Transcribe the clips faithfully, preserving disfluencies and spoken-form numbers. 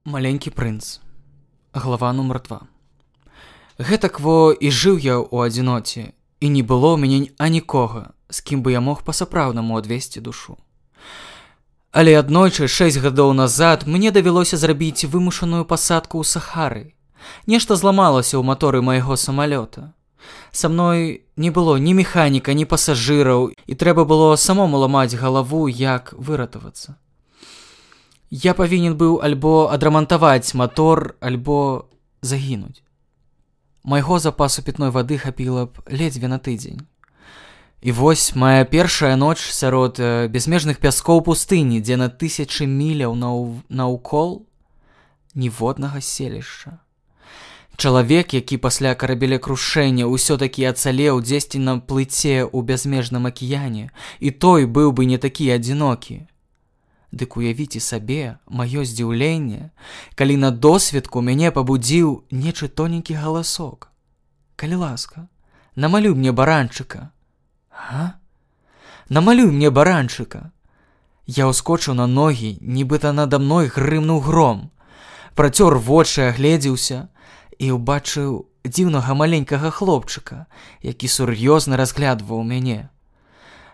Маленькі прынц. Глава нумар два. Гэтак во і жыў я ў адзіноце, і не было ў мяне анікога, з кім бы я мог па-сапраўднаму адвесці душу. Але аднойчы, шэсць гадоў назад, мне давялося зрабіць вымушаную пасадку ў Сахары. Нешта зламалася ў маторы майго самалёта. Са мной не было ні механіка, ні пасажыраў, і трэба было самому ламаць галаву, як выратавацца. Я павінен быў альбо адрамантаваць матор, альбо загінуць. Майго запасу пітной вады хапіла б ледзьве на тыдзень. І вось мая першая ноч сярод безмежных пяскоў пустыні, дзе на тысячы міляў нау... наўкол ніводнага селішча. Чалавек, які пасля карабелекрушэння ўсё-такі ацалеў дзесьці на плыце ў бязмежным акіяне, і той быў бы не такі адзінокі. Дык уявіце сабе маё здзіўленне, калі на досведку мяне пабудзіў нечы тоненькі галасок. Калі ласка, намалюй мне баранчыка. А? Намалюй мне баранчыка. Я ўскочыў на ногі, нібыта надо мной грымнуў гром. Працёр вочы, агледзеўся і ўбачыў дзіўнага маленькага хлопчыка, які сур'ёзна разглядваў мяне.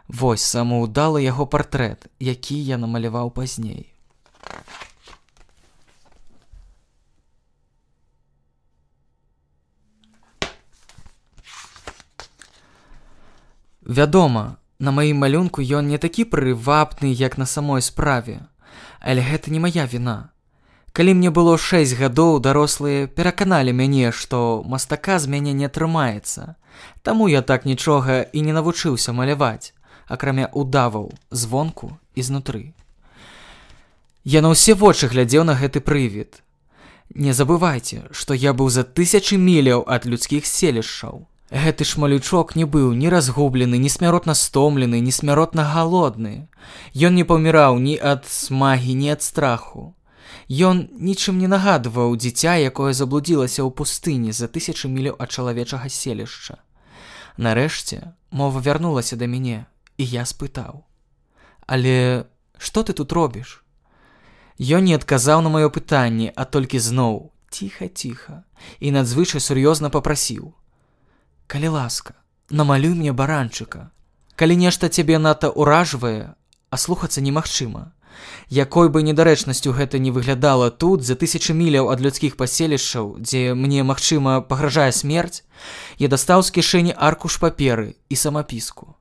Вось самаўдалы яго партрэт, які я намаляваў пазней. Вядома, на маім малюнку ён не такі прывабны, як на самой справе, але гэта не мая віна. Калі мне было шэсць гадоў, дарослыя пераканалі мяне, што мастака з мяне не атрымаецца, таму я так нічога і не навучыўся маляваць, акрамя удаваў звонку і знутры. Я на ўсе вочы глядзеў на гэты прывід. Не забывайце, што я быў за тысячы міляў ад людскіх селішчаў. Гэты ж малючок не быў ні разгублены, ні смяротна стомлены, ні смяротна галодны. Ён не паміраў ні ад смагі, ні ад страху. Ён нічым не нагадваў дзіця, якое заблудзілася ў пустыні за тысячы міляў ад чалавечага селішча. Нарэшце мова вярнулася да мяне, і я спытаў: «Але што ты тут робіш?» Ён не адказаў на маё пытанне, а толькі зноў ціха-ціха і надзвычай сур'ёзна папрасіў: «Калі ласка, намалюй мне баранчыка. Калі нешта цябе надта ўражвае, а слухацца немагчыма. Якой бы недарэчнасцю гэта не выглядала тут, за тысячы міляў ад людскіх паселішчаў, дзе мне, магчыма, пагражае смерць, я дастаў з кішэні аркуш паперы і самапіску.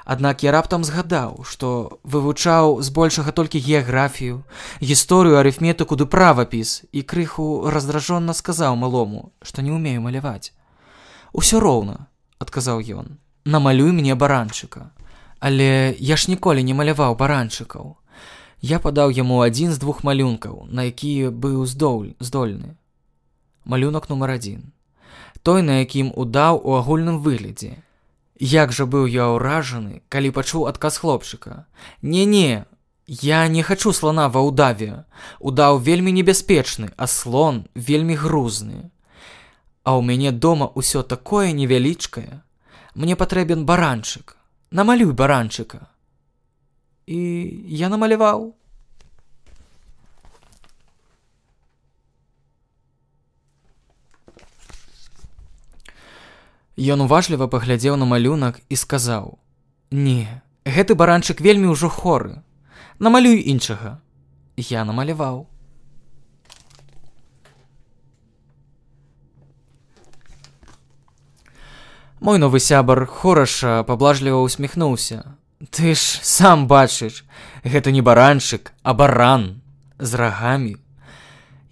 Аднак я раптам згадаў, што вывучаў збольшага толькі геаграфію, гісторыю, арыфметыку ды правапіс, і крыху раздражонна сказаў малому, што не ўмею маляваць. «Усё роўна», — адказаў ён, — «намалюй мне баранчыка». Але я ж ніколі не маляваў баранчыкаў. Я падаў яму адзін з двух малюнкаў, на які быў здоль, здольны. Малюнак нумар адзін. Той, на якім удаў у агульным выглядзе. Як жа быў я ўражаны, калі пачуў адказ хлопчыка: «Не-не, я не хачу слона ва ўдаве. Удаў вельмі небяспечны, а слон вельмі грузны. А ў мяне дома ўсё такое невялічкае. Мне патрэбен баранчык. Намалюй баранчыка». І я намаляваў. Ён уважліва паглядзеў на малюнак і сказаў: «Не, гэты баранчык вельмі ўжо хоры. Намалюй іншага». Я намаляваў. Мой новы сябар хораша паблажліва усміхнуўся. «Ты ж сам бачыш, гэта не баранчык, а баран з рагамі».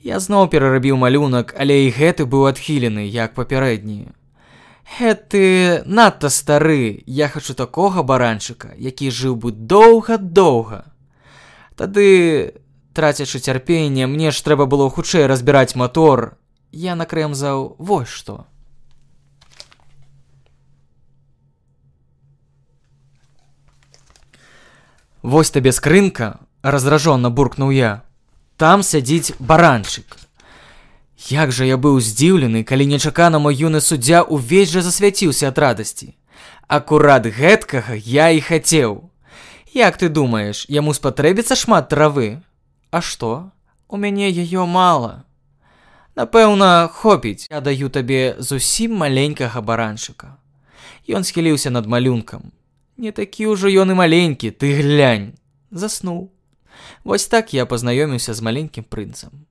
Я зноў перарабіў малюнак, але і гэты быў адхілены, як папярэдні. «Гэты надта стары, я хачу такога баранчыка, які жыў бы доўга-доўга». Тады, трацячы цярпенне, мне ж трэба было хутчэй разбіраць матор. Я накрэмзаў вось што. «Вось табе скрынка», — раздражённа буркнуў я. «Там сядзіць баранчык». Як жа я быў здзіўлены, калі нечакана мой юны суддзя увесь жа засвяціўся ад радасці. Акурат гэткага я і хацеў. Як ты думаеш, яму спатрэбіцца шмат травы? А што? У мяне яе мала. Напэўна, хопіць, я даю табе зусім маленькага баранчыка. Ён схіліўся над малюнкам. Не такі ўжо ён і маленькі, ты глянь. Заснуў. Вось так я пазнаёміўся з маленькім прынцам.